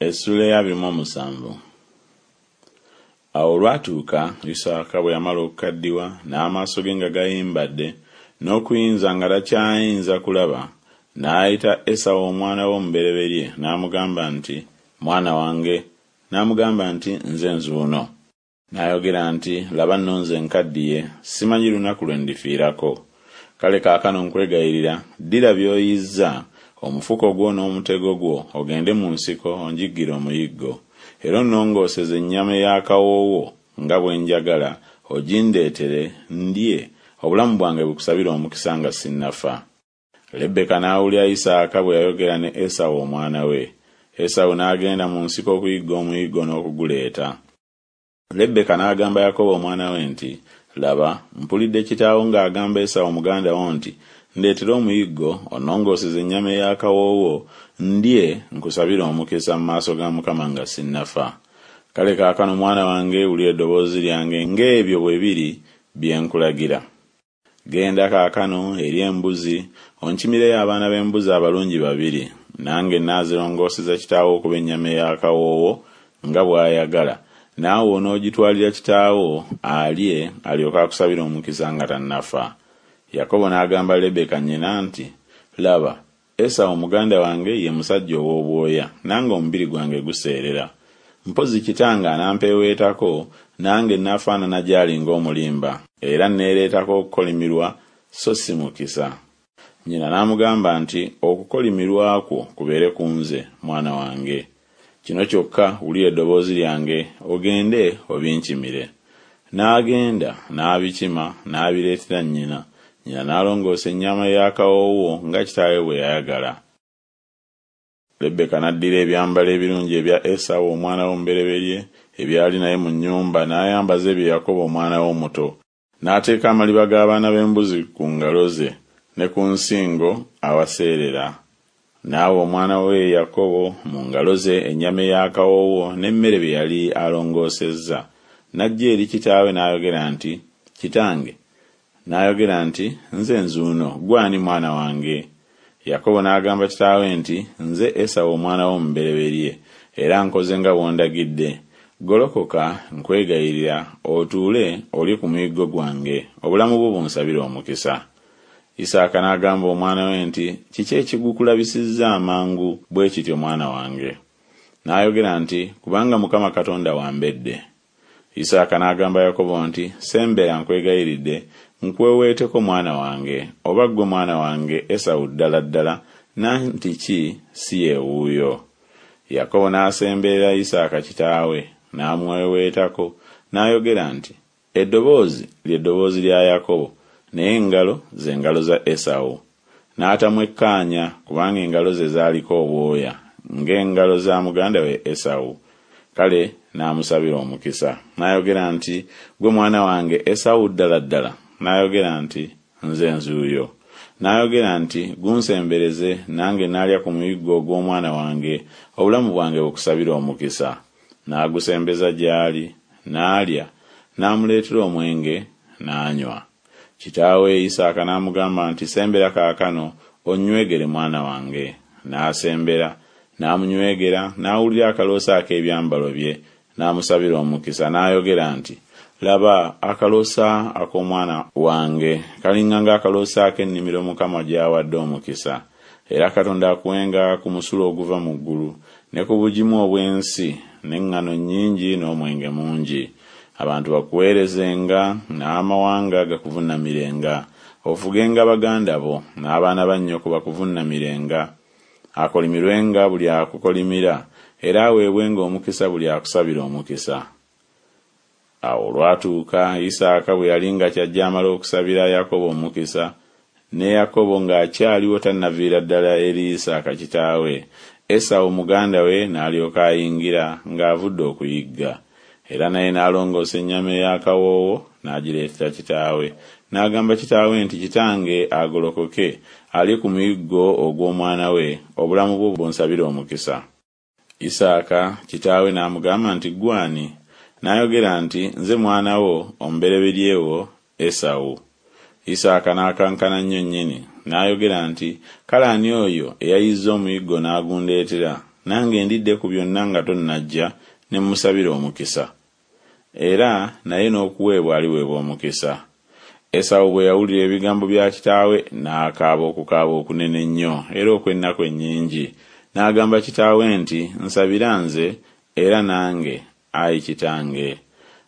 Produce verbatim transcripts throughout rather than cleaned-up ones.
Essuula ey'abiri mu omusanvu. Awo olwatuuka Isaaka bwe yamala okukaddiwa, n'amaaso ge nga gayimbadde, n'okuyinza nga takyayinza kulaba, n'ayita Esawu omwana we omubereberye, n'amugamba nti, Mwana wange. N'amugamba nti, Nze nzuuno. N'ayogera nti, Laba nno nze nkaddiye, simanyi lunaku lwe ndifiirako. Kale kaakano nkwegayirira, ddira by'oyizza, omufuko gwo n'omutego gwo, ogende mu nsiko onjiggire omuyiggo. Era onnongooseze ennyama ey'akawoowo nga bwe njagala, ogindeetere, ndye, obulamu bwange bukusabire omukisa nga sinnafa. Lebbeka n'awulira Isaaka bwe yayogera ne Esawu omwana we. Esawu n'agenda mu nsiko okuyigga omuyiggo n'okuguleeta. Lebbeka n'agamba Yakobo omwana we nti, Laba, mpulidde kitaawo ng'agamba Esawu muganda wo nti, Ndeetera omuyiggo, onnongooseze ennyama ey'akawoowo, ndye, nkusabire omukisa mu maaso ga Mukama nga sinnafa. Kale kaakano mwana wange wulira eddoboozi lyange ng'ebyo bwe biri bye nkulagira. Genda kaakano eri embuzi, onkimireyo abaana b'embuzi abalungi babiri, nange nnaazirongooseza kitaawo okuba ennyama ey'akawoowo nga bw'ayagala, naawe onoogitwalira kitaawo alye, alyoke akusabire omukisa nga tannafa. Yakobo n'agamba Lebbeeka nnyina nti, Laba, Esawu muganda wange ye musajja ow'obwoya, nange omubiri gwange guseerera. Mpozzi kitange anampeeweetako, nange nnaafaanana gy'ali ng'omulimba, era nneereetako okukolimirwa, so si mukisa. Nnyina n'amugamba nti, Okukolimirwa kwo kubeere ku nze, mwana wange. Kino kyokka wulira eddoboozi lyange, ogende obinkimire. N'agenda, n'abikima, n'abireetera nnyina. Nnyina n'alongoosa ennyama ey'akawoowo nga kitaawe bwe yayagala. Lebbeka n'addira ebyambalo ebirungi ebya Esawu omwana we omubereberye ebyali naye mu nnyumba, n'ayambaza ebyo Yakobo omwana we omuto. N'ateeka amaliba g'abaana b'embuzi ku ngalo ze ne ku nsingo awaseerera. N'awa omwana we Yakobo mu ngalo ze ennyama ey'akawoowo n'emmere bye yali alongoosezza. N'ajja eri kitaawe n'ayogera nti, Kitange. N'ayogera nti, Nze nzuuno, ggwe ani mwana wange? Yakobo n'agamba kitaawe nti, Nze Esawu omwana wo omubereberye, era nkoze nga bw'ondagidde. Golokoka, nkwegayirira, otuule olye ku muyiggo gwange, obulamu bwo bunsabire omukisa. Isaaka n'agamba omwana we nti, Kiki ekigukulabisizza amangu bwe kityo mwana wange? N'ayogera nti, Kubanga Mukama Katonda wambedde. Isaaka n'agamba Yakobo nti, Sembera nkwegayiridde, nkweweeteko mwana wange, oba ggwe mwana wange Esawu ddala ddala, nanti ki si ye wuuyo. Yakobo n'asemberera Isaaka kitaawe, n'amweweetako, n'ayogera nti, Eddoboozi lye ddoboozi lya Yakobo, naye engalo ze ngalo za Esawu. N'atamwekkaanya, kubanga engalo ze zaaliko obwoya, ng'engalo za muganda we Esawu. Kale n'amusabira omukisa. N'ayogera nti, Ggwe mwana wange Esawu ddala ddala? N'ayogera nti, Nze nzuuyo. N'ayogera nti, Gunsembereze, nange naalya ku muyiggo ogw'omwana wange, obulamu bwange bukusabire omukisa. N'agusembeza gy'ali, n'alya, n'amuleetera omwenge, n'anywa. Kitaawe Isaaka n'amugamba nti, Sembera kaakano, onnywegere mwana wange. N'asembera, n'amunywegera, n'awulira akaloosa ak'ebyambalo bye, n'amusabira omukisa, n'ayogera nti, Laba, akaloosa ak'omwana wange kalinga ng'akaloosa ak'ennimiro Mukama gy'awadde omukisa. Era Katonda akuwenga ku musulo oguva mu ggulu, ne ku bugimu obw'ensi, n'eŋŋano nnyingi n'omwenge mungi. Abantu bakuweerezenga, n'amawanga gakuvunnamirenga. Ofugenga baganda bo, n'abaana ba nnyoko bakuvunnamirenga. Akolimirwenga buli akukolimira, era aweebwenga omukisa buli akusabira omukisa. Awo olwatuuka Isaaka bwe yali nga kyajja amala okusabira Yakobo omukisa, ne Yakobo ng'akyaliwo tannaviira ddala eri Isaaka kitaawe, Esawu muganda we n'alyoka ayingira ng'avudde okuyigga. Era naye n'alongoosa ennyama ey'akawoowo n'agireetera kitaawe. N'agamba kitaawe nti, Kitange agolokoke, alye ku muyiggo ogw'omwana we, obulamu bwo bunsabire omukisa. Isaaka kitaawe n'amugamba nti, Ggwe ani? N'ayogera nti, Nze mwana wo omubereberye wo Esawu. Isaaka n'akankana nnyo nnyini, n'ayogera nti, Kale ani oyo eyayizze omuyiggo n'agundeetera, Nange ndidde ku byonna nga tonnajja, ne mmusabira omukisa. Era naye n'okuweebwa aliweebwa omukisa. Esawu bwe yawulira ebigambo bya kitaawe, n'akaaba okukaaba okunene ennyo era okw'ennaku ennyingi. N'agamba kitaawe nti, Nsabira nze era nange, ayi kitange.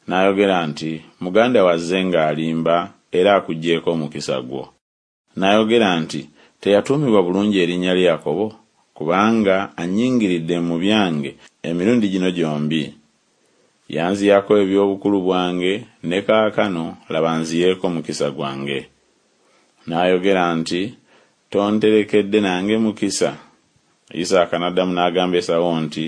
N'ayogera nti, Muganda wo azze ng'alimba era akuggyeeko omukisa gwo. N'ayogera nti, Teyatuumibwa bulungi erinnya lye Yakobo? Kubanga annyingiridde mu byange emirundi gino gyombi. Yanziyako eby'obukulu bwange, ne kaakano, laba anziyeeko omukisa gwange. N'ayogera nti, Tonterekedde nange mukisa? Isaaka n'addamu n'agamba Esawu nti,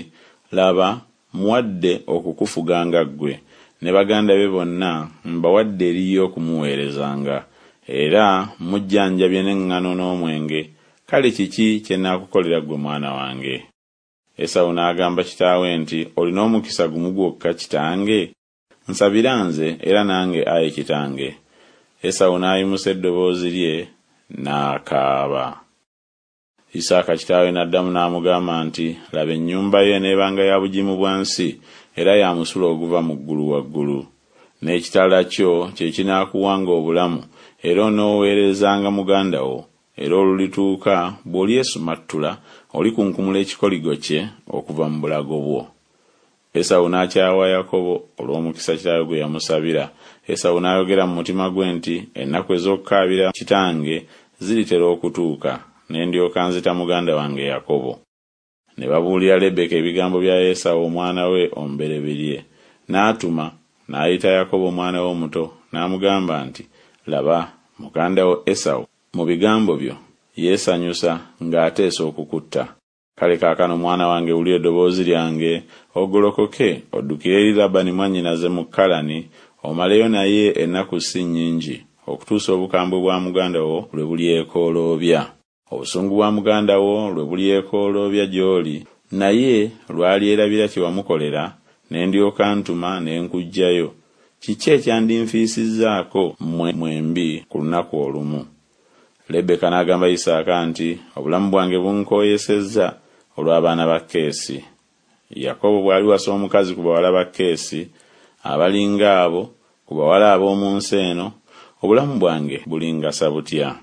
Laba, mmuwadde okukufuganga ggwe, ne baganda be bonna mbawadde eri ye okumuweerezanga, era mmujjanjabye n'eŋŋano n'omwenge, kale kiki kye nnaakukolera ggwe mwana wange? Esawu n'agamba kitaawe nti, Olina omukisa gumu gwokka kitange? Nsabira nze era nange, ayi kitange. Esawu n'ayimusa eddoboozi lye n'akaaba. Isaaka kitaawe n'addamu n'amugamba nti, Laba ennyumba yo eneebanga ya bugimu bwa nsi, era ya musulo oguva mu ggulu waggulu. N'ekitala kyo kye kinaakuwanga obulamu, era onooweerezanga muganda wo. Era olulituuka, bw'olyesumattula, olikunkumula ekikoligo kye okuva mu bulago bwo. Esawu n'akyawa Yakobo olw'omukisa kitaawe gwe yamusabira. Esawu n'ayogera mu mutima gwe nti, Ennaku ez'okukaabira kitange ziritera okutuuka, ne ndyoka nzita muganda wange Yakobo. Ne babuulira Lebbeeka ebigambo bya Esawu omwana we omubereberye. N'atuma, n'ayita Yakobo omwana we omuto, n'amugamba nti, Laba, muganda wo Esawu mu bigambo byo yeesanyusa ng'ateesa okukutta. Kale kaakano mwana wange wulira eddoboozi lyange, ogolokoke, oddukire eri Labani mwannyinaze mu Kalani, omaleyo naye ennaku si nnyingi, okutuusa obukambwe bwa muganda wo lwe bulyekooloobya. Obusungu bwa muganda wo lwe bulyekooloobya gy'oli, naye lw'alyerabira kye wamukolera, ne ndyoka ntuma ne nkuggyayo. Kiki ekyandinfiisizzaako mmwe mwembi ku lunaku olumu? Lebbeeka n'agamba Isaaka nti, Obulamu bwange bunkooyesezza olw'abaana ba Keesi. Yakobo bw'aliwasa omukazi ku bawala ba Keesi, abalinga abo, ku bawala ab'omu nsi eno, obulamu bwange bulingasa butya?